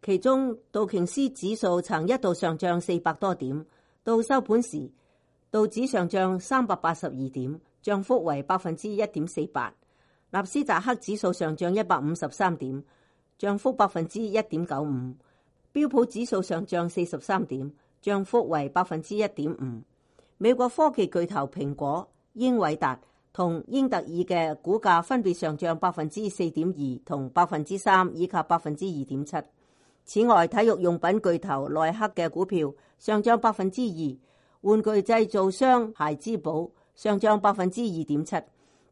其中道瓊斯指數曾一度上漲400多點，到收盤時道指上漲382點，漲幅為1.48%。納斯達克指數上漲153點，漲幅1.95%。標普指數上漲43點，漲幅為1.5%。美國科技巨頭蘋果、英偉達同英特爾嘅股價分別上漲4.2%同3%以及2.7%。此外，體育用品巨頭耐克嘅股票上漲2%，玩具製造商孩之寶上漲2.7%，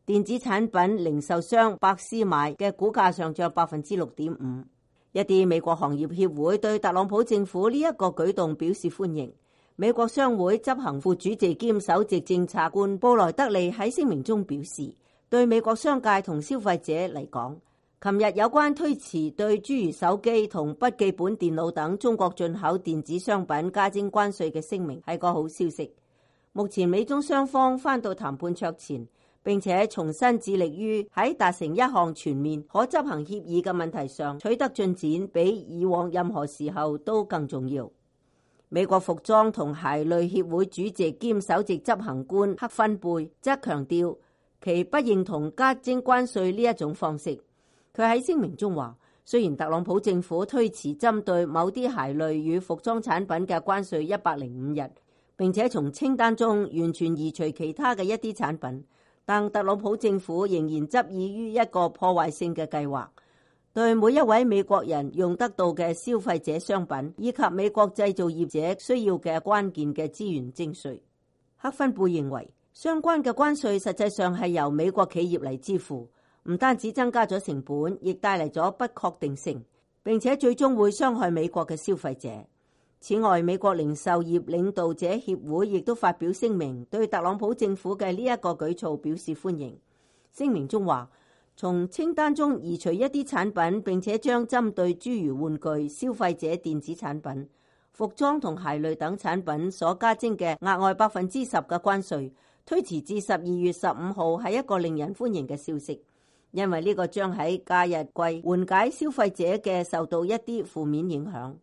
電子產品零售商百思買嘅股價上漲6.5%。一啲美國行業協會對特朗普政府呢一個舉動表示歡迎。美國商會執行副主席兼首席政策官布萊德利喺聲明中表示，對美國商界同消費者嚟講，琴日有關推遲對諸如手機同筆記本電腦等中國進口電子商品加徵關稅嘅聲明係個好消息。目前美中雙方返到談判桌前，並且重新致力於喺達成一項全面可執行協議嘅問題上取得進展，比以往任何時候都更重要。美國服裝同鞋類協會主席兼首席執行官克芬貝則強調其不認同加徵關稅呢一種方式。佢喺聲明中話，雖然特朗普政府推遲針對某啲鞋類與服裝產品嘅關稅105日，並且從清單中完全移除其他嘅一啲產品，但特朗普政府仍然執意於一個破壞性嘅計劃，對每一位美國人用得到嘅消費者商品以及美國製造業者需要嘅關鍵嘅資源徵稅。克芬貝認為，相關嘅關稅實際上係由美國企業嚟支付，唔單止增加咗成本，亦帶嚟咗不確定性，並且最終會傷害美國嘅消費者。此外，美國零售業領導者協會亦都發表聲明，對特朗普政府嘅呢一個舉措表示歡迎。聲明中話，從清單中移除一啲產品，並且將針對諸如玩具、消費者電子產品、服裝同鞋類等產品所加徵嘅額外10%嘅關稅推遲至12月15號，係一個令人歡迎嘅消息。因為呢個將喺假日季緩解消費者嘅受到一啲負面影響。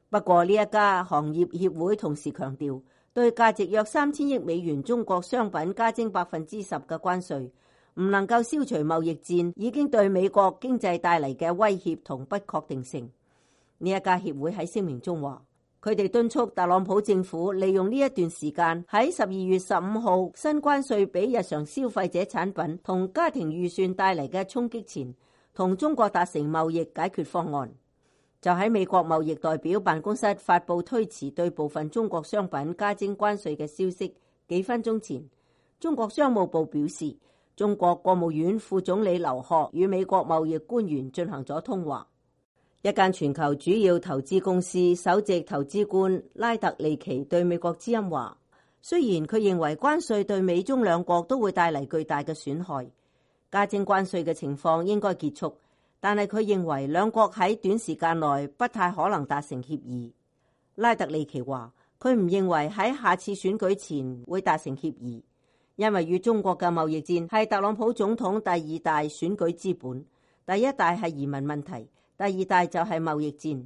不過呢一家行業協會同時強調，對價值約3000億美元中國商品加徵10%嘅關稅，唔能夠消除貿易戰已經對美國經濟帶嚟嘅威脅同不確定性。呢一家協會喺聲明中話，佢哋敦促特朗普政府利用呢一段時間喺12月15號新關稅俾日常消費者產品同家庭預算帶嚟嘅衝擊前，同中國達成貿易解決方案。就喺美國貿易代表辦公室發布推遲對部分中國商品加徵關稅嘅消息幾分鐘前，中國商務部表示，中國國務院副總理劉鶴與美國貿易官員進行咗通話。一間全球主要投資公司首席投資官拉特利奇對美國之音話，雖然佢認為關稅對美中兩國都會帶嚟巨大嘅損害，加徵關稅嘅情況應該結束，但係佢認為兩國喺短時間內不太可能達成協議。拉特利奇話，佢唔認為喺下次選舉前會達成協議，因為與中國嘅貿易戰係特朗普總統第二大選舉資本，第一大係移民問題，第二大就係貿易戰。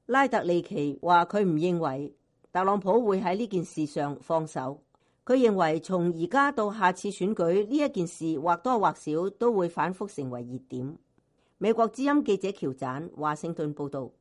拉特利奇話佢唔認為特朗普會喺呢件事上放手，佢認為從而家到下次選舉呢一件事或多或少都會反覆成為熱點。美國之音記者喬盞華盛頓報道。